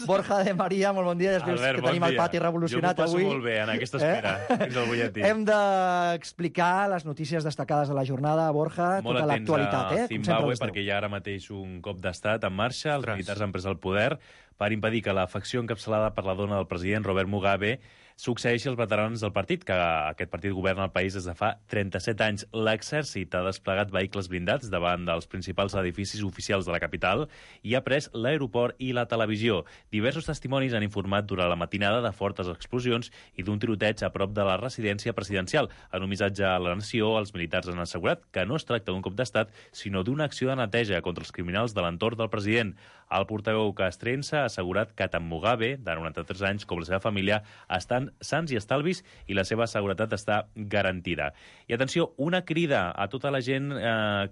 Borja de Maria, molt bon dia. Albert, que tenim el pati revolucionat avui. Jo m'ho passo molt bé en aquesta espera, fins al butlletí. Hem d'explicar les notícies destacades de la jornada, Borja, molt tota l'actualitat. Molt atents a Zimbabue, perquè hi ha ara mateix un cop d'estat en marxa. Els militars han pres el poder per impedir que la facció encapçalada per la dona del president, Robert Mugabe, succeeixi els veterans del partit, que aquest partit governa el país des de fa 37 anys. L'exèrcit ha desplegat vehicles blindats davant dels principals edificis oficials de la capital i ha pres l'aeroport i la televisió. Diversos testimonis han informat durant la matinada de fortes explosions i d'un tiroteig a prop de la residència presidencial. En un missatge a la nació, els militars han assegurat que no es tracta d'un cop d'estat, sinó d'una acció de neteja contra els criminals de l'entorn del president. El portaveu castrense ha assegurat que tant Mugabe, de 93 anys, com la seva família, estan sans i estalvis i la seva seguretat està garantida. I atenció, una crida a tota la gent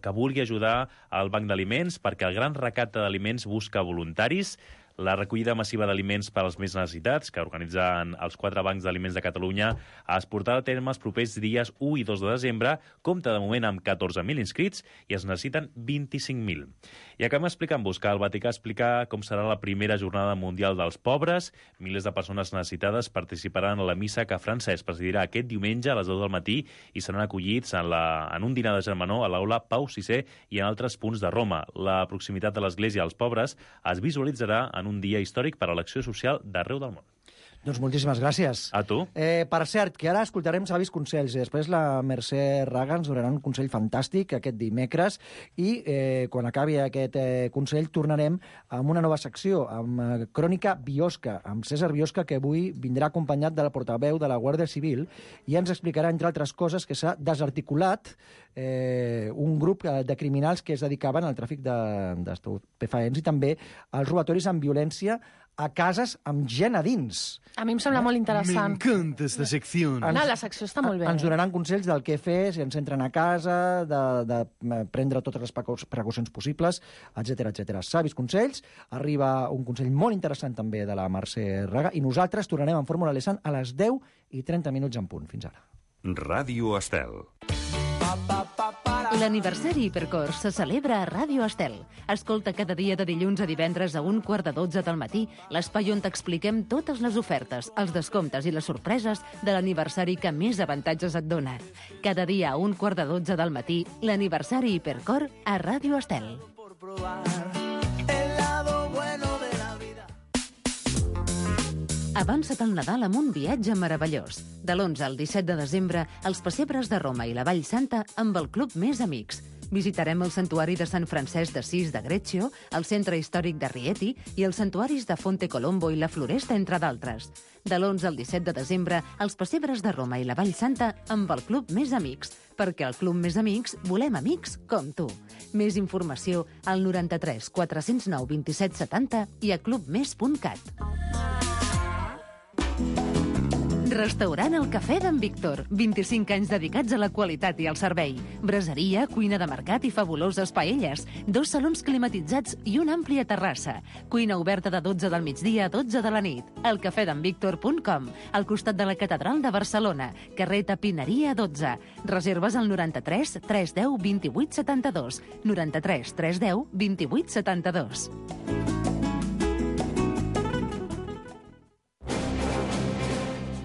que vulgui ajudar al Banc d'Aliments, perquè el gran recapte d'aliments busca voluntaris. La recollida massiva d'aliments per als més necessitats, que organitzen els 4 bancs d'aliments de Catalunya, es portarà a terme els propers dies 1 i 2 de desembre, compta de moment amb 14.000 inscrits i es necessiten 25.000. I acabem explicant-vos que el Vaticà explica com serà la primera jornada mundial dels pobres. Milers de persones necessitades participaran a la missa que Francesc presidirà aquest diumenge a les 10 del matí i seran acollits en un dinar de germanor a l'aula Pau VI i en altres punts de Roma. La proximitat de l'Església als pobres es visualitzarà en un dia històric per a l'acció social d'arreu del món. Doncs moltíssimes gràcies. A tu. Per cert, que ara escoltarem savis consells i després la Mercè Raga ens donarà un consell fantàstic aquest dimecres i quan acabi aquest consell tornarem amb una nova secció, amb Crònica Biosca, amb César Biosca, que avui vindrà acompanyat de la portaveu de la Guàrdia Civil i ens explicarà, entre altres coses, que s'ha desarticulat un grup de criminals que es dedicaven al tràfic d'estupefaents i també als robatoris amb violència a cases amb gent a dins. A mi em sembla molt interessant. M'encanta esta secció. No, la secció està molt bé. Ens donaran consells del què fer si ens entren a casa, de prendre totes les precaucions possibles, etc etc. Savis consells, arriba un consell molt interessant també de la Mercè Raga i nosaltres tornarem en Fórmula Lesan a les 10:30 en punt. Fins ara. Ràdio Estel. L'aniversari Hipercor se celebra a Ràdio Estel. Escolta cada dia de dilluns a divendres a 11:45 del matí l'espai on t'expliquem totes les ofertes, els descomptes i les sorpreses de l'aniversari que més avantatges et dona. Cada dia a 11:45 del matí, l'aniversari Hipercor a Ràdio Estel. Avança't al Nadal amb un viatge meravellós. De l'11 al 17 de desembre, els pessebres de Roma i la Vall Santa amb el Club Més Amics. Visitarem el santuari de Sant Francesc d'Assís de Greccio, el centre històric de Rieti i els santuaris de Fonte Colombo i la Floresta, entre d'altres. De l'11 al 17 de desembre, els pessebres de Roma i la Vall Santa amb el Club Més Amics, perquè al Club Més Amics volem amics com tu. Més informació al 93 409 27 70 i a clubmes.cat. Restaurant El Cafè d'en Víctor. 25 anys dedicats a la qualitat i al servei. Braseria, cuina de mercat i fabuloses paelles. 2 salons climatitzats i una àmplia terrassa. Cuina oberta de 12 del migdia a 12 de la nit. elcafedenvictor.com, al costat de la Catedral de Barcelona. Carrer Tapineria 12. Reserves al 93 310 28 72. 93 310 28 72.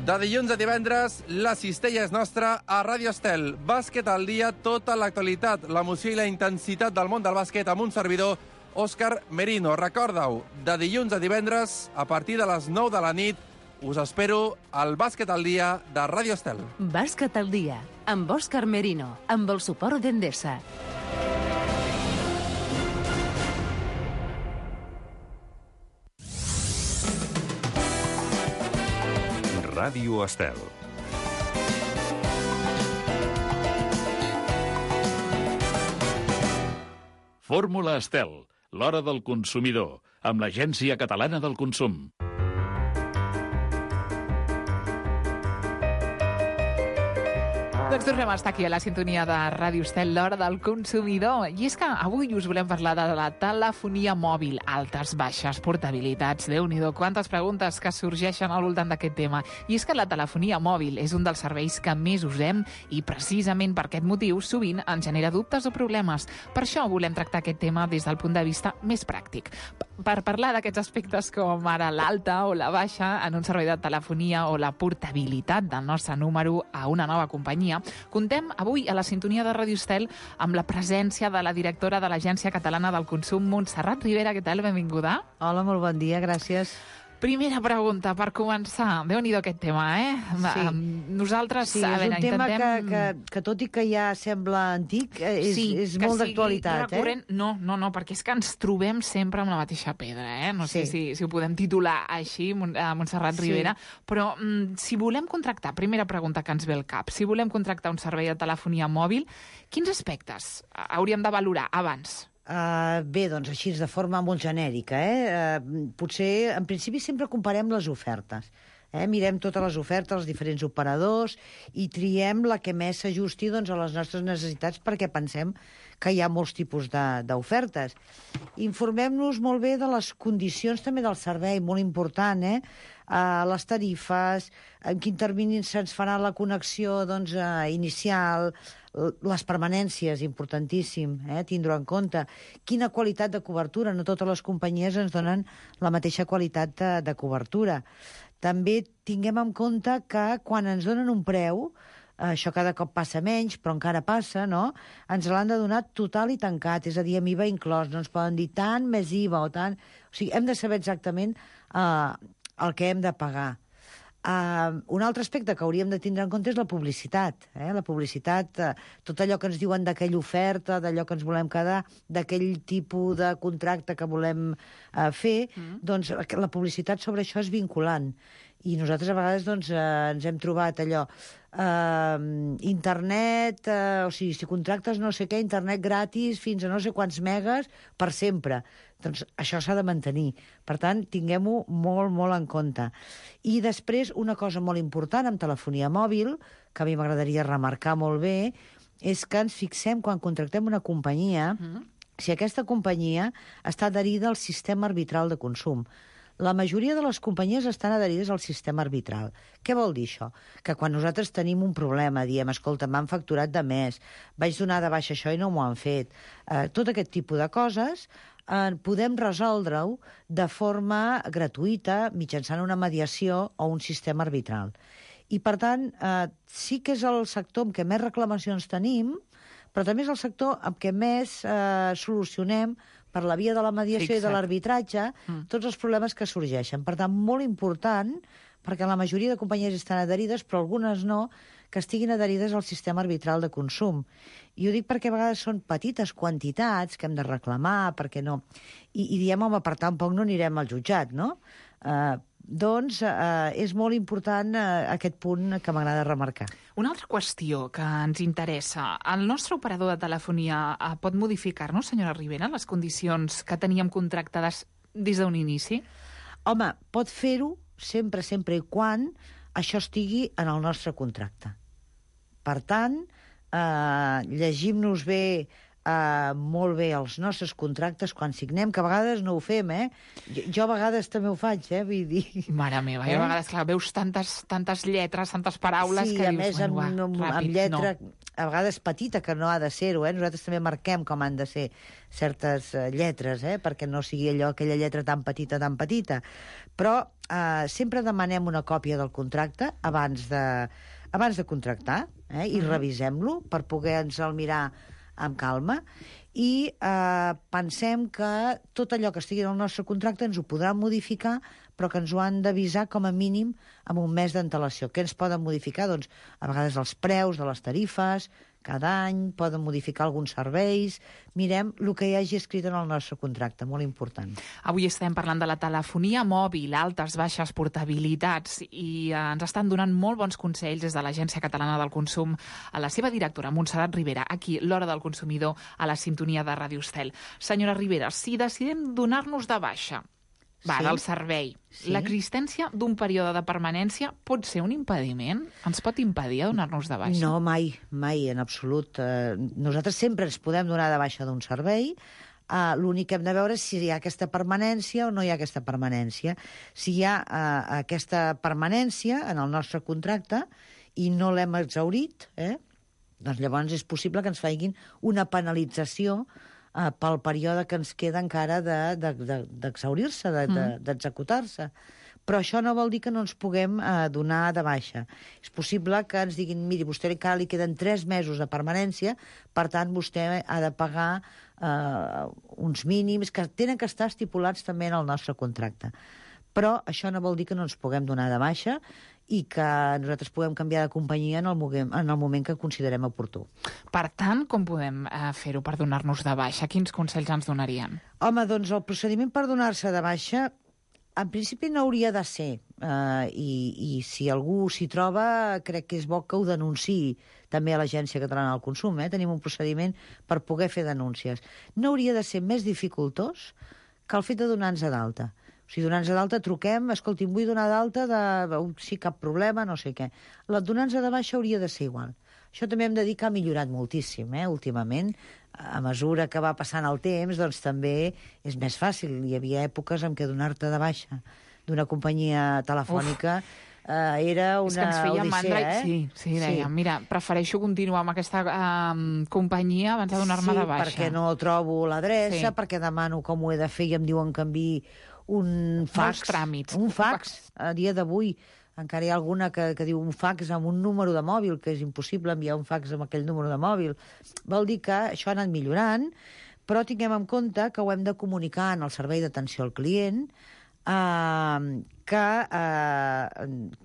De dilluns a divendres, la cistella és nostra a Ràdio Estel. Bàsquet al dia, tota l'actualitat, l'emoció i la intensitat del món del bàsquet amb un servidor, Òscar Merino. Recorda-ho, de dilluns a divendres, a partir de les 9 de la nit, us espero al Bàsquet al dia de Ràdio Estel. Bàsquet al dia, amb Òscar Merino, amb el suport d'Endesa. Ràdio Estel. Fórmula Estel, l'hora del consumidor, amb l'Agència Catalana del Consum. Doncs tornem a estar aquí a la sintonia de Ràdio Estel, l'hora del consumidor. I és que avui us volem parlar de la telefonia mòbil, altes, baixes, portabilitats. Déu-n'hi-do, quantes preguntes que sorgeixen al voltant d'aquest tema. I és que la telefonia mòbil és un dels serveis que més usem i precisament per aquest motiu sovint ens genera dubtes o problemes. Per això volem tractar aquest tema des del punt de vista més pràctic. Per parlar d'aquests aspectes com ara l'alta o la baixa en un servei de telefonia o la portabilitat del nostre número a una nova companyia, contem avui a la sintonia de Ràdio Estel amb la presència de la directora de l'Agència Catalana del Consum, Montserrat Ribera. Què tal? Benvinguda. Hola, molt bon dia, gràcies. Primera pregunta, per començar. Déu-n'hi-do aquest tema, Sí. Nosaltres, Sí, és un tema que tot i que ja sembla antic, és molt d'actualitat. Recurrent. No, perquè és que ens trobem sempre amb la mateixa pedra. No sé si ho podem titular així, Montserrat Ribera, però si volem contractar, primera pregunta que ens ve al cap, si volem contractar un servei de telefonia mòbil, quins aspectes hauríem de valorar abans? Bé, doncs així, de forma molt genèrica. Potser, en principi, sempre comparem les ofertes. Mirem totes les ofertes, els diferents operadors, i triem la que més s'ajusti a les nostres necessitats, perquè pensem que hi ha molts tipus d'ofertes. Informem-nos molt bé de les condicions també del servei, molt important, les tarifes, en quin termini se'ns farà la connexió inicial, les permanències, importantíssim, tindre en compte. Quina qualitat de cobertura, no totes les companyies ens donen la mateixa qualitat de cobertura. També tinguem en compte que quan ens donen un preu, això cada cop passa menys, però encara passa, no? Ens l'han de donar total i tancat, és a dir, amb IVA inclòs. No ens poden dir tant més IVA o tant... O sigui, hem de saber exactament el que hem de pagar. Un altre aspecte que hauríem de tindre en compte és la publicitat. La publicitat, tot allò que ens diuen d'aquella oferta, d'allò que ens volem quedar, d'aquell tipus de contracte que volem fer, doncs la publicitat sobre això és vinculant. I nosaltres a vegades ens hem trobat allò, internet, o sigui, si contractes no sé què, internet gratis fins a no sé quants megas per sempre. Doncs això s'ha de mantenir. Per tant, tinguem-ho molt, molt en compte. I després, una cosa molt important amb telefonia mòbil, que a mi m'agradaria remarcar molt bé, és que ens fixem quan contractem una companyia, si aquesta companyia està adherida al sistema arbitral de consum. La majoria de les companyies estan adherides al sistema arbitral. Què vol dir això? Que quan nosaltres tenim un problema, diem, escolta, m'han facturat de més, vaig donar de baixa això i no m'ho han fet. Tot aquest tipus de coses podem resoldre-ho de forma gratuïta mitjançant una mediació o un sistema arbitral. I, per tant, sí que és el sector amb què més reclamacions tenim, però també és el sector amb què més solucionem per la via de la mediació i de l'arbitratge tots els problemes que sorgeixen. Per tant, molt important, perquè la majoria de companyies estan adherides, però algunes no, que estiguin adherides al sistema arbitral de consum. I ho dic perquè a vegades són petites quantitats que hem de reclamar, perquè no... I diem, home, per tant, poc no anirem al jutjat, no? Doncs és molt important aquest punt que m'agrada remarcar. Una altra qüestió que ens interessa. El nostre operador de telefonia pot modificar-nos, senyora Ribera, les condicions que teníem contractades des d'un inici? Home, pot fer-ho sempre i quan això estigui en el nostre contracte. Per tant, llegim-nos bé molt bé els nostres contractes quan signem, que a vegades no ho fem, Jo a vegades també ho faig, vull dir... Mare meva, a vegades, clar, veus tantes lletres, tantes paraules que dius... Sí, a més, amb lletra, a vegades petita, que no ha de ser-ho, Nosaltres també marquem com han de ser certes lletres, perquè no sigui allò, aquella lletra tan petita. Però sempre demanem una còpia del contracte abans de contractar, i revisem-lo per poder-nos-el mirar amb calma, i pensem que tot allò que estigui en el nostre contracte ens ho podran modificar, però que ens ho han d'avisar com a mínim amb un mes d'antelació. Què ens poden modificar? Doncs a vegades els preus de les tarifes, cada any, poden modificar alguns serveis. Mirem el que hi hagi escrit en el nostre contracte, molt important. Avui estem parlant de la telefonia mòbil, altes, baixes, portabilitats, i ens estan donant molt bons consells des de l'Agència Catalana del Consum a la seva directora, Montserrat Ribera, aquí, l'Hora del Consumidor, a la sintonia de Ràdio Estel. Senyora Ribera, si decidim donar-nos de baixa, Va, Sí. del servei. Sí. L'existència d'un període de permanència pot ser un impediment? Ens pot impedir donar-nos de baixa? No, mai, en absolut. Nosaltres sempre ens podem donar de baixa d'un servei. L'únic que hem de veure és si hi ha aquesta permanència o no hi ha aquesta permanència. Si hi ha aquesta permanència en el nostre contracte i no l'hem exhaurit, doncs llavors és possible que ens facin una penalització pel període que ens queda encara d'exhaurir-se, d'executar-se. Però això no vol dir que no ens puguem donar de baixa. És possible que ens diguin, miri, vostè encara li queden 3 mesos de permanència, per tant, vostè ha de pagar uns mínims que tenen que estar estipulats també en el nostre contracte. Però això no vol dir que no ens puguem donar de baixa i que nosaltres puguem canviar de companyia en el moment que considerem oportú. Per tant, com podem fer-ho per donar-nos de baixa? Quins consells ens donarien? Home, doncs el procediment per donar-se de baixa en principi no hauria de ser, i si algú s'hi troba, crec que és bo que ho denunciï també a l'Agència Catalana del Consum. Tenim un procediment per poder fer denúncies. No hauria de ser més dificultós que el fet de donar-nos d'alta. O sigui, donar-nos d'alta, truquem, escolti, em vull donar d'alta, sí, cap problema, no sé què. La donar-nos de baixa hauria de ser igual. Això també hem de dir que ha millorat moltíssim, últimament. A mesura que va passant el temps, doncs també és més fàcil. Hi havia èpoques en què donar-te de baixa d'una companyia telefònica era una és que ens feia mandra, sí, dèiem, mira, prefereixo continuar amb aquesta companyia abans de donar-me de baixa. Sí, perquè no trobo l'adreça, perquè demano com ho he de fer i em diuen que enviï un fax. Molts tràmits. Un fax. A dia d'avui encara hi ha alguna que diu un fax amb un número de mòbil, que és impossible enviar un fax amb aquell número de mòbil. Vol dir que això ha anat millorant, però tinguem en compte que ho hem de comunicar en el servei d'atenció al client, que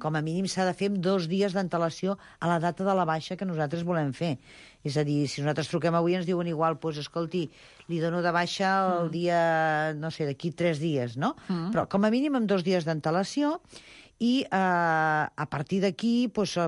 com a mínim s'ha de fer amb 2 dies d'antelació a la data de la baixa que nosaltres volem fer. És a dir, si nosaltres truquem avui ens diuen igual, doncs escolti, li dono de baixa el dia, no sé, d'aquí 3 dies, no? Però com a mínim amb 2 dies d'antelació i a partir d'aquí doncs,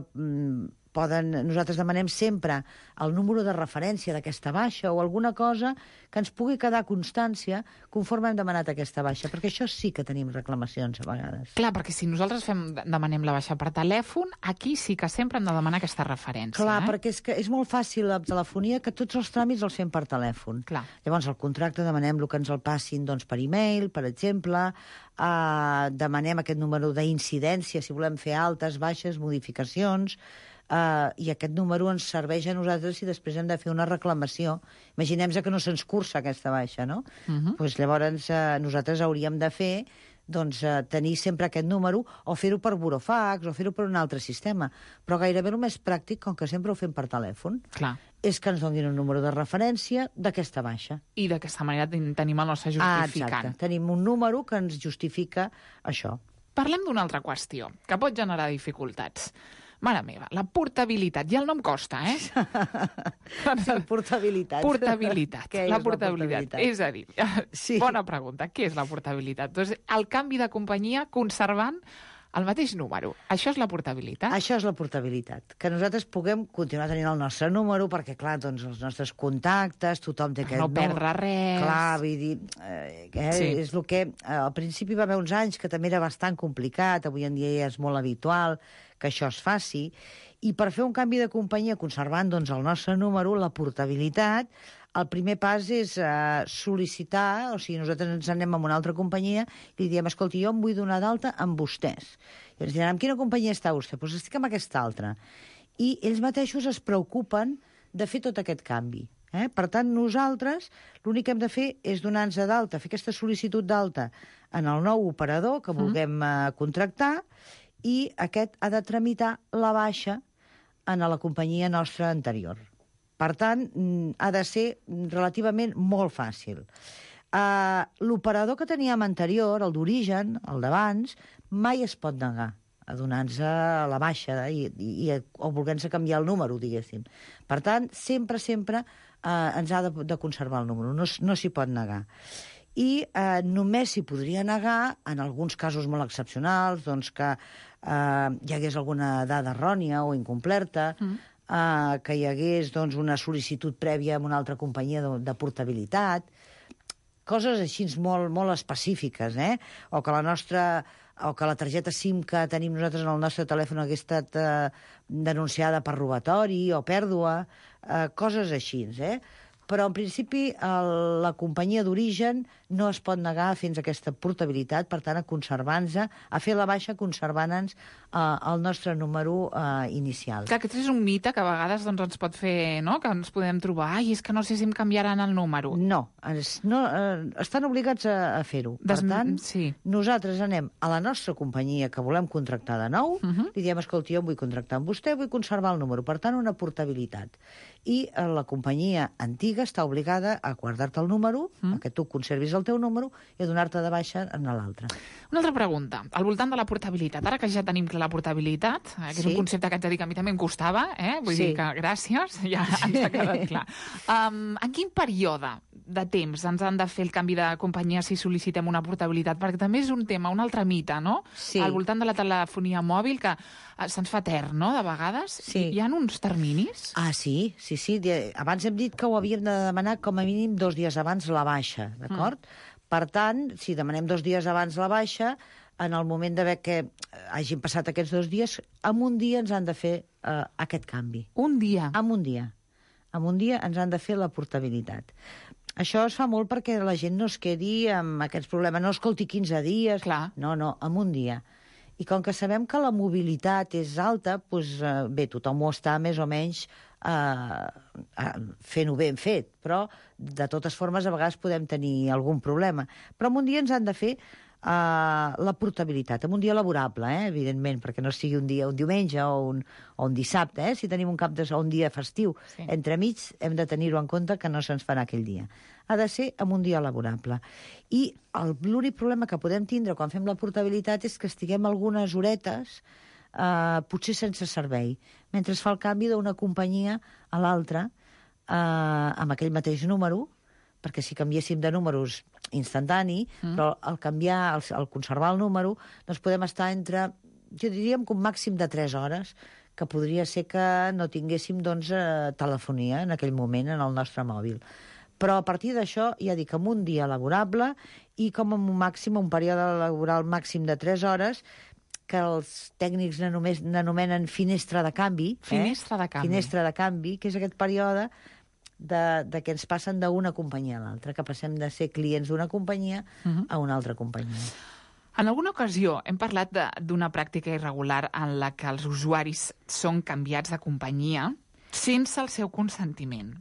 nosaltres demanem sempre el número de referència d'aquesta baixa o alguna cosa que ens pugui quedar constància conforme hem demanat aquesta baixa, perquè això sí que tenim reclamacions a vegades. Clar, perquè si nosaltres demanem la baixa per telèfon, aquí sí que sempre hem de demanar aquesta referència. Clar, perquè és molt fàcil la telefonia que tots els tràmits els fem per telèfon. Clar. Llavors, el contracte demanem que ens el passin per e-mail, per exemple, demanem aquest número d'incidència si volem fer altes, baixes, modificacions, i aquest número ens serveix a nosaltres si després hem de fer una reclamació. Imaginem-se que no se'ns cursa aquesta baixa, no? Doncs llavors nosaltres hauríem de fer tenir sempre aquest número o fer-ho per burofax o fer-ho per un altre sistema. Però gairebé el més pràctic, com que sempre ho fem per telèfon, és que ens donin un número de referència d'aquesta baixa. I d'aquesta manera tenim el nostre justificant. Exacte, tenim un número que ens justifica això. Parlem d'una altra qüestió, que pot generar dificultats. Mare meva, la portabilitat. Ja el nom costa, Sí, portabilitat. Portabilitat. Què és la portabilitat? És a dir, bona pregunta, què és la portabilitat? Doncs el canvi de companyia conservant el mateix número. Això és la portabilitat? Això és la portabilitat. Que nosaltres puguem continuar tenint el nostre número, perquè, clar, doncs els nostres contactes, tothom té aquest número. No perdre res. Clar, vull dir, és el que al principi va haver uns anys que també era bastant complicat, avui en dia ja és molt habitual que això es faci, i per fer un canvi de companyia conservant el nostre número, la portabilitat, el primer pas és sol·licitar, o sigui, nosaltres ens anem a una altra companyia i li diem, escolti, jo em vull donar d'alta amb vostès. I ens diran, amb quina companyia està vostè? Doncs estic amb aquesta altra. I ells mateixos es preocupen de fer tot aquest canvi. Per tant, nosaltres l'únic que hem de fer és donar-nos d'alta, fer aquesta sol·licitud d'alta en el nou operador que vulguem contractar, i aquest ha de tramitar la baixa en la companyia nostra anterior. Per tant, ha de ser relativament molt fàcil. L'operador que teníem anterior, el d'origen, el d'abans, mai es pot negar a donar-nos la baixa o voler-nos canviar el número, diguéssim. Per tant, sempre ens ha de conservar el número, no s'hi pot negar. I només s'hi podria negar en alguns casos molt excepcionals, doncs que hi hagués alguna dada errònia o incomplerta, que hi hagués una sol·licitud prèvia amb una altra companyia de portabilitat. coses així molt, molt específiques, o que la targeta SIM que tenim nosaltres en el nostre telèfon hagués estat denunciada per robatori o pèrdua, coses així, Però, en principi, la companyia d'origen no es pot negar a fer-nos aquesta portabilitat, per tant, a conservar-nos, a fer la baixa conservant-nos el nostre número inicial. Clar, aquest és un mite que a vegades ens pot fer, no?, que ens podem trobar, és que no sé si em canviaran el número. No, estan obligats a fer-ho. Per tant, nosaltres anem a la nostra companyia que volem contractar de nou, li diem, escolti, jo em vull contractar amb vostè, vull conservar el número, per tant, una portabilitat. I la companyia antiga està obligada a guardar-te el número, que tu conservis el teu número, i a donar-te de baixa en l'altre. Una altra pregunta, al voltant de la portabilitat. Ara que ja tenim clar la portabilitat, que és un concepte que haig de dir que a mi també em costava, vull dir que gràcies, ja ens ha quedat clar. En quin període de temps ens han de fer el canvi de companyia si sol·licitem una portabilitat? Perquè també és un tema, un altre mite, no? Sí. Al voltant de la telefonia mòbil, que se'ns fa etern, no?, de vegades. Sí. Hi ha uns terminis? Sí. Abans hem dit que ho havíem de demanar com a mínim 2 dies abans la baixa, d'acord? Per tant, si demanem 2 dies abans la baixa, en el moment d'haver que hagin passat aquests 2 dies, en un dia ens han de fer aquest canvi. Un dia? En un dia. En un dia ens han de fer la portabilitat. Això es fa molt perquè la gent no es quedi amb aquests problemes. No escolti 15 dies. Clar. No, en un dia. I com que sabem que la mobilitat és alta, doncs, bé, tothom ho està més o menys fent-ho ben fet, però de totes formes a vegades podem tenir algun problema. Però en un dia ens han de fer la portabilitat, en un dia laborable, evidentment, perquè no sigui un diumenge o un dissabte, si tenim un dia festiu. Sí. Entremig hem de tenir-ho en compte que no se'ns farà aquell dia. Ha de ser en un dia laborable. I l'únic problema que podem tindre quan fem la portabilitat és que estiguem algunes horetes potser sense servei, mentre es fa el canvi d'una companyia a l'altra amb aquell mateix número, perquè si canviéssim de números instantani, però al canviar, al conservar el número, doncs podem estar entre, jo diríem que un màxim de 3 hores, que podria ser que no tinguéssim telefonia en aquell moment en el nostre mòbil. Però a partir d'això, ja dic, en un dia laborable i com a un període laboral màxim de 3 hores, que els tècnics n'anomenen finestra de canvi. Finestra de canvi. Finestra de canvi, que és aquest període de que ens passen d'una companyia a l'altra, que passem de ser clients d'una companyia a una altra companyia. En alguna ocasió hem parlat d'una pràctica irregular en la que els usuaris són canviats de companyia sense el seu consentiment.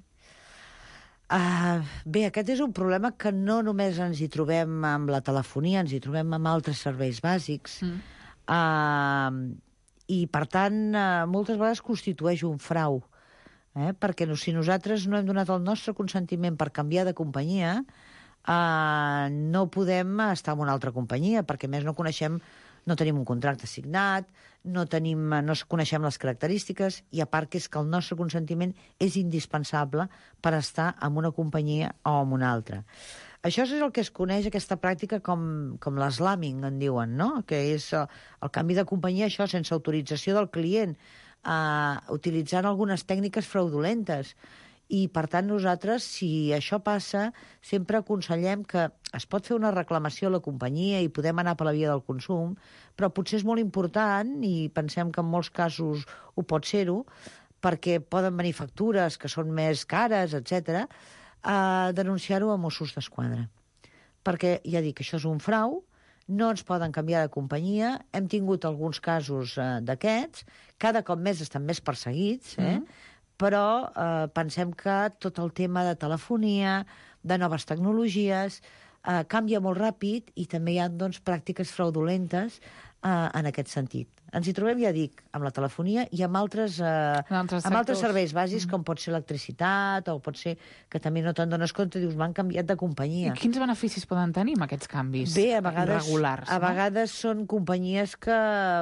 Bé, aquest és un problema que no només ens hi trobem amb la telefonia, ens hi trobem amb altres serveis bàsics. I, per tant, moltes vegades constitueix un frau. Perquè si nosaltres no hem donat el nostre consentiment per canviar de companyia, no podem estar en una altra companyia, perquè a més no tenim un contracte signat, no coneixem les característiques, i a part que és que el nostre consentiment és indispensable per estar en una companyia o en una altra. Això és el que es coneix, aquesta pràctica, com l'eslamming, en diuen, no? Que és el canvi de companyia, això sense autorització del client, utilitzant algunes tècniques fraudulentes. I, per tant, nosaltres, si això passa, sempre aconsellem que es pot fer una reclamació a la companyia i podem anar per la via del consum, però potser és molt important, i pensem que en molts casos ho pot ser-ho, perquè poden venir factures que són més cares, etc., denunciar-ho a Mossos d'Esquadra. Perquè, ja dic, això és un frau, no ens poden canviar de companyia, hem tingut alguns casos d'aquests, cada cop més estan més perseguits, però pensem que tot el tema de telefonia, de noves tecnologies, canvia molt ràpid i també hi ha pràctiques fraudulentes en aquest sentit. Ens hi trobem, ja dic, amb la telefonia i amb altres serveis bàsics, com pot ser electricitat, o pot ser que també no te'n dones compte i dius, m'han canviat de companyia. I quins beneficis poden tenir amb aquests canvis irregulars? A vegades són companyies que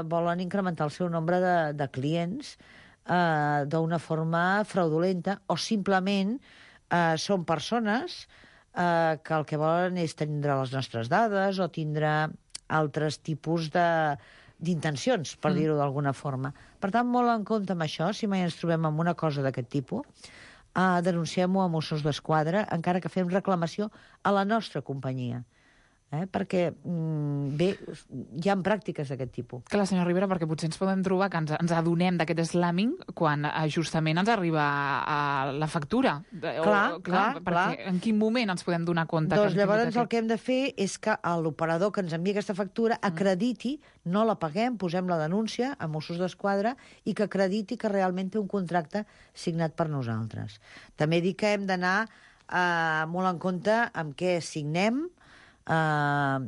volen incrementar el seu nombre de clients d'una forma fraudulenta, o simplement són persones que el que volen és tindre les nostres dades o tindre altres tipus d'intencions, per dir-ho d'alguna forma. Per tant, molt en compte amb això, si mai ens trobem amb una cosa d'aquest tipus, denunciem-ho a Mossos d'Esquadra, encara que fem reclamació a la nostra companyia. Perquè, bé, hi ha pràctiques d'aquest tipus. Clar, senyor Rivera, perquè potser ens podem trobar que ens adonem d'aquest slamming quan justament ens arriba a la factura. Perquè en quin moment ens podem donar compte? Doncs llavors el que hem de fer és que l'operador que ens envia aquesta factura acrediti, no la paguem, posem la denúncia a Mossos d'Esquadra i que acrediti que realment té un contracte signat per nosaltres. També dic que hem d'anar molt en compte amb què signem, a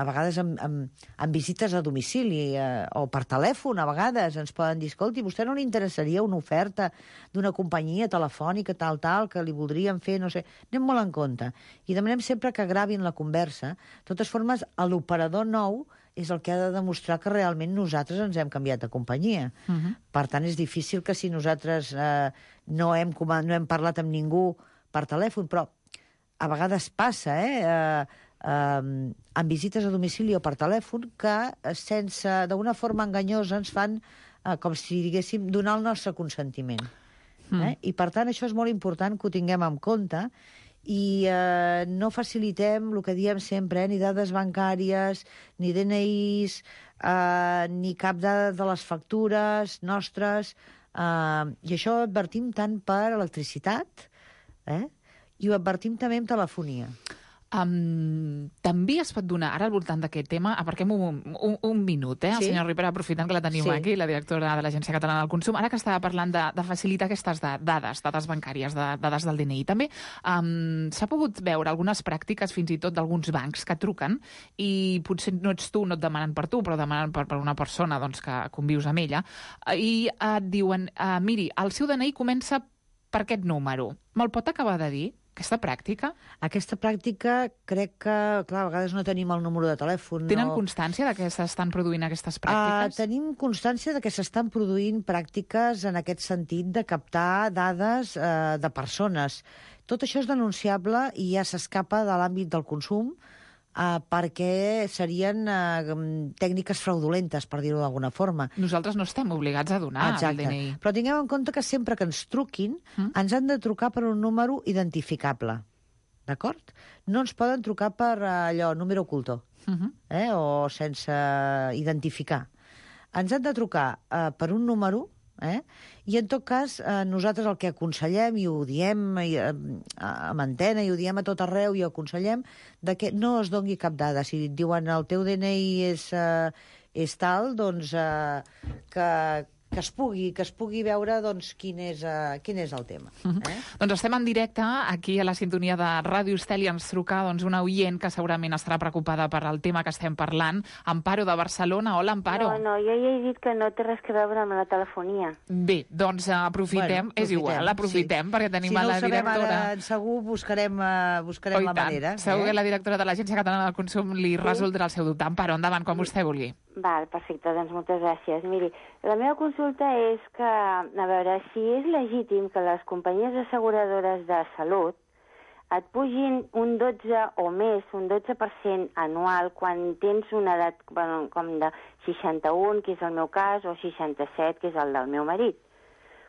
vegades amb visites a domicili o per telèfon, a vegades ens poden dir, escolti, vostè no li interessaria una oferta d'una companyia telefònica tal, que li voldrien fer, no sé. Anem molt en compte. I demanem sempre que gravin la conversa. De totes formes, l'operador nou és el que ha de demostrar que realment nosaltres ens hem canviat de companyia. Per tant, és difícil que si nosaltres no hem parlat amb ningú per telèfon, però a vegades passa, amb visites a domicili o per telèfon, que d'una forma enganyosa ens fan, com si diguéssim, donar el nostre consentiment. I per tant això és molt important que ho tinguem en compte i no facilitem el que diem sempre, ni dades bancàries, ni DNIs, ni cap dada de les factures nostres, i això ho advertim tant per electricitat, i ho advertim també amb telefonia. També es pot donar, ara al voltant d'aquest tema, aparquem un minut, el senyor Rivera, aprofitant que la tenim aquí, la directora de l'Agència Catalana del Consum, ara que estava parlant de facilitar aquestes dades bancàries, dades del DNI. També s'ha pogut veure algunes pràctiques, fins i tot d'alguns bancs, que truquen i potser no ets tu, no et demanen per tu, però demanen per una persona que convius amb ella, i et diuen, miri, el seu DNI comença per aquest número. Me'l pot acabar de dir? Aquesta pràctica? Aquesta pràctica crec que, clar, a vegades no tenim el número de telèfon. Tenen constància de que s'estan produint aquestes pràctiques? Tenim constància de que s'estan produint pràctiques en aquest sentit de captar dades de persones. Tot això és denunciable i ja s'escapa de l'àmbit del consum perquè serien tècniques fraudulentes, per dir-ho d'alguna forma. Nosaltres no estem obligats a donar el DNI. Però tinguem en compte que sempre que ens truquin, ens han de trucar per un número identificable. D'acord? No ens poden trucar per allò, número oculto, o sense identificar. Ens han de trucar per un número, i en tot cas nosaltres el que aconsellem, i ho diem amb antena, i ho diem a tot arreu, i ho aconsellem, que no es doni cap dada. Si et diuen el teu DNI és tal, doncs que es pugui veure quin és el tema. Doncs estem en directe aquí a la sintonia de Ràdio Estel i ens truca una oient que segurament estarà preocupada per el tema que estem parlant. Amparo, de Barcelona. Hola, Amparo. No, jo ja he dit que no té res a veure amb la telefonia. Bé, doncs aprofitem, és igual, aprofitem, perquè tenim a la directora... Si no ho sabem ara, segur buscarem la manera. Segur que la directora de l'Agència Catalana del Consum li resoldrà el seu dubte. Amparo, endavant, quan vostè vulgui. Val, perfecte, doncs moltes gràcies. Miri, la meva consulta és que, a veure, si és legítim que les companyies asseguradores de salut et pugin un 12 o més, un 12% anual quan tens una edat com de 61, que és el meu cas, o 67, que és el del meu marit.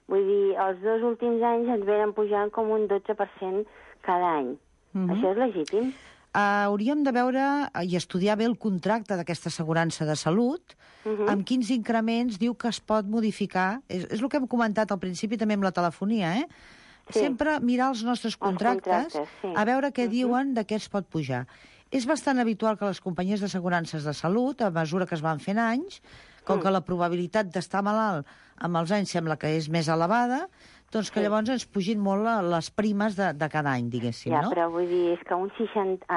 Vull dir, els 2 últims anys ens venen pujant com un 12% cada any. Això és legítim? Hauríem de veure i estudiar bé el contracte d'aquesta assegurança de salut, amb quins increments diu que es pot modificar. És el que hem comentat al principi també amb la telefonia, Sempre mirar els nostres contractes, a veure què diuen de què es pot pujar. És bastant habitual que les companyies d'assegurances de salut, a mesura que es van fent anys, com que la probabilitat d'estar malalt amb els anys sembla que és més elevada, doncs que llavors ens pugin molt les primes de cada any, diguéssim, no? Ja, però vull dir, és que un 12%...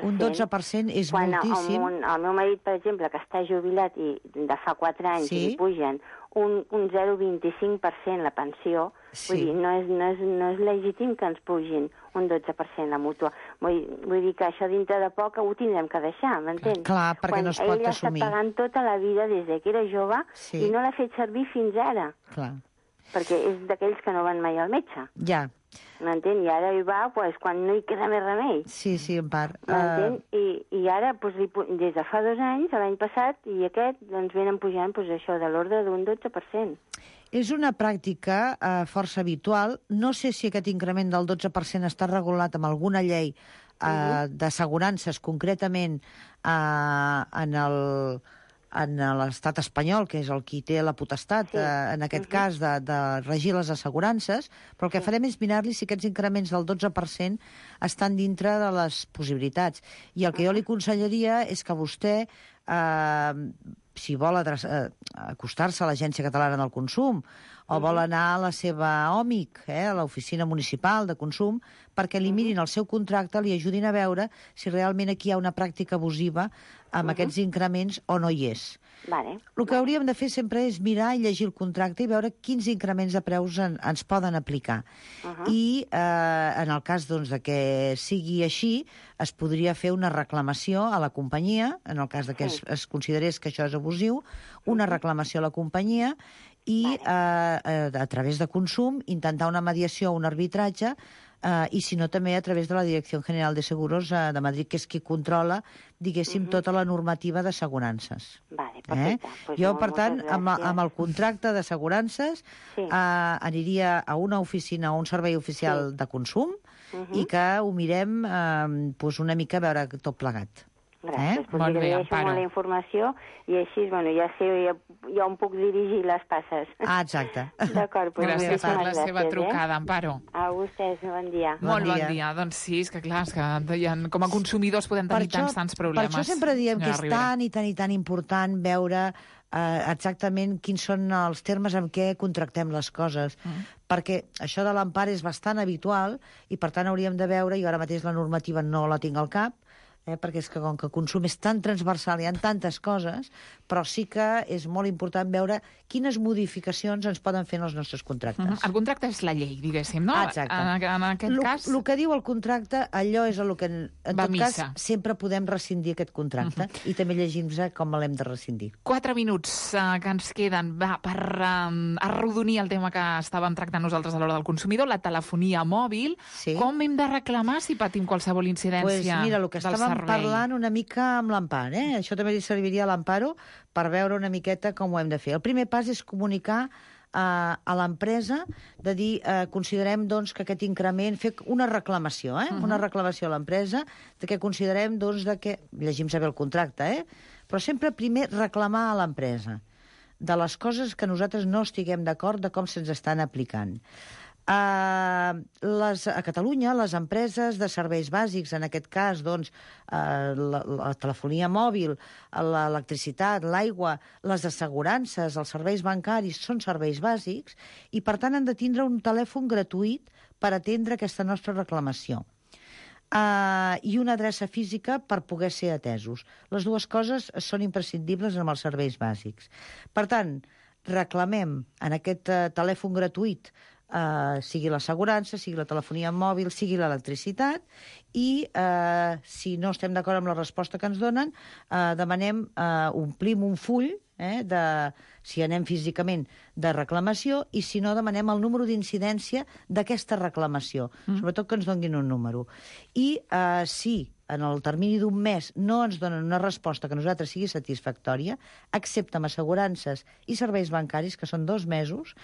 Un 12% és moltíssim. Quan el meu marit, per exemple, que està jubilat i de fa 4 anys li pugen un 0,25% la pensió, vull dir, no és legítim que ens pugin un 12% la mútua. Vull dir que això dintre de poc ho tindrem que deixar, m'entens? Clar, perquè no es pot assumir. Ell ha estat pagant tota la vida des que era jove i no l'ha fet servir fins ara. Clar. Perquè és d'aquells que no van mai al metge. Ja. M'entén? I ara hi va pues, quan no hi queda més remei. Sí, en part. M'entén? I ara, pues, des de fa 2 anys, l'any passat, i aquest, doncs venen pujant pues, això de l'ordre d'un 12%. És una pràctica força habitual. No sé si aquest increment del 12% està regulat amb alguna llei d'assegurances, concretament en l'estat espanyol, que és el qui té la potestat, en aquest cas, de regir les assegurances, però el que farem és mirar-li si aquests increments del 12% estan dintre de les possibilitats. I el que jo li aconsellaria és que vostè, si vol acostar-se a l'Agència Catalana del Consum o vol anar a la seva OMIC, a l'Oficina Municipal de Consum, perquè li mirin el seu contracte, li ajudin a veure si realment aquí hi ha una pràctica abusiva amb aquests increments o no hi és. Vale. El que hauríem de fer sempre és mirar i llegir el contracte i veure quins increments de preus ens poden aplicar. I en el cas doncs, de que sigui així, es podria fer una reclamació a la companyia, en el cas de que es considerés que això és abusiu, una reclamació a la companyia i a través de Consum intentar una mediació o un arbitratge i si no també a través de la Direcció General de Seguros de Madrid, que és qui controla, diguéssim, tota la normativa d'assegurances. Vale, perfecte. Pues jo, per tant, amb el contracte d'assegurances aniria a una oficina o un servei oficial de Consum i que ho mirem una mica a veure tot plegat. Gràcies, doncs li agraeixo molt la informació i així, ja sé, ja on puc dirigir les passes. Exacte. D'acord, doncs gràcies per la seva trucada, Amparo. A vostès, bon dia. Molt bon dia. Doncs sí, és que clar, com a consumidors podem tenir tants problemes. Per això sempre diem que és tan i tan important veure exactament quins són els termes amb què contractem les coses, perquè això de l'empara és bastant habitual i per tant hauríem de veure, i ara mateix la normativa no la tinc al cap, perquè és que com que el consum és tan transversal, hi ha tantes coses, però sí que és molt important veure quines modificacions ens poden fer en els nostres contractes. El contracte és la llei, diguéssim, no? Exacte. En aquest cas... El que diu el contracte, allò és el que en tot cas sempre podem rescindir aquest contracte i també llegim-nos com l'hem de rescindir. 4 minuts que ens queden per arrodonir el tema que estàvem tractant nosaltres a l'hora del consumidor, la telefonia mòbil. Com hem de reclamar si patim qualsevol incidència mira, el que estàvem parlant una mica amb l'Amparo, això també li serviria a l'Amparo per veure una miqueta com ho hem de fer. El primer pas és comunicar a l'empresa, de dir, considerem doncs, que aquest increment, fer una reclamació, una reclamació a l'empresa, de que considerem doncs, que, llegim saber el contracte, però sempre primer reclamar a l'empresa de les coses que nosaltres no estiguem d'acord de com se'ns estan aplicant. A Catalunya, les empreses de serveis bàsics, en aquest cas, doncs, la telefonia mòbil, l'electricitat, l'aigua, les assegurances, els serveis bancaris, són serveis bàsics i, per tant, han de tindre un telèfon gratuït per atendre aquesta nostra reclamació. I una adreça física per poder ser atesos. Les dues coses són imprescindibles amb els serveis bàsics. Per tant, reclamem en aquest telèfon gratuït sigui l'assegurança, sigui la telefonia mòbil, sigui l'electricitat, i si no estem d'acord amb la resposta que ens donen, demanem, omplim un full, si anem físicament, de reclamació, i si no, demanem el número d'incidència d'aquesta reclamació, sobretot que ens donin un número. I si en el termini d'un mes no ens donen una resposta que a nosaltres sigui satisfactòria, excepte amb assegurances i serveis bancaris, que són 2 mesos,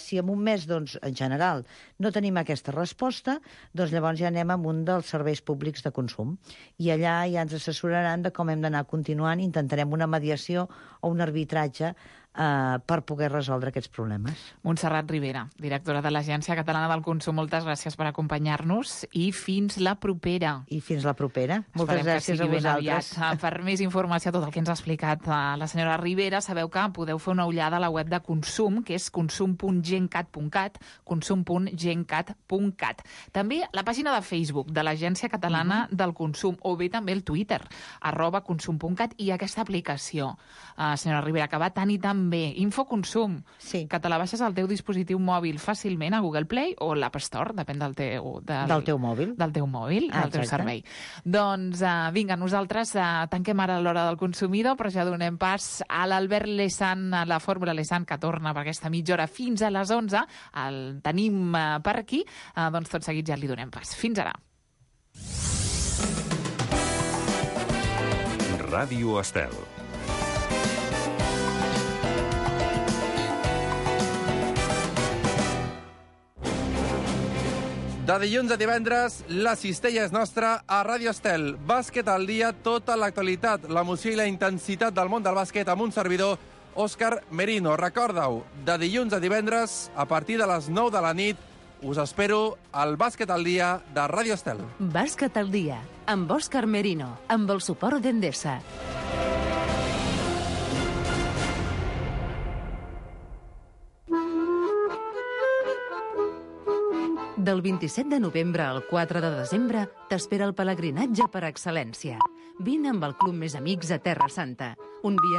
si en un mes, doncs, en general, no tenim aquesta resposta, doncs llavors ja anem amb un dels serveis públics de consum. I allà ja ens assessoraran de com hem d'anar continuant, intentarem una mediació o un arbitratge per poder resoldre aquests problemes. Montserrat Ribera, directora de l'Agència Catalana del Consum, moltes gràcies per acompanyar-nos i fins la propera. I fins la propera. Moltes gràcies a vosaltres. Per més informació, tot el que ens ha explicat la senyora Ribera, sabeu que podeu fer una ullada a la web de Consum, que és consum.gencat.cat, consum.gencat.cat. També la pàgina de Facebook de l'Agència Catalana del Consum, o bé també el Twitter, @consum.cat, i aquesta aplicació, senyora Ribera, que va tan i tan també, Infoconsum, Sí. que te la baixes al teu dispositiu mòbil fàcilment a Google Play o l'App Store, depèn del teu... Del teu mòbil. Del teu mòbil, del teu servei. Doncs vinga, nosaltres tanquem ara l'hora del consumidor, però ja donem pas a l'Albert Lesan, a la Fórmula Lesan, que torna per aquesta mitja hora fins a les 11. El tenim per aquí, doncs tot seguit ja li donem pas. Fins ara. Ràdio Estel. De dilluns a divendres, la cistella és nostra a Ràdio Estel. Bàsquet al dia, tota l'actualitat, l'emoció i la intensitat del món del bàsquet amb un servidor, Òscar Merino. Recorda-ho, de dilluns a divendres, a partir de les 9 de la nit, us espero al Bàsquet al dia de Ràdio Estel. Bàsquet al dia, amb Òscar Merino, amb el suport d'Endesa. Del 27 de novembre al 4 de desembre t'espera el pelegrinatge per excel·lència. Vine amb el Club Més Amics a Terra Santa, un viatge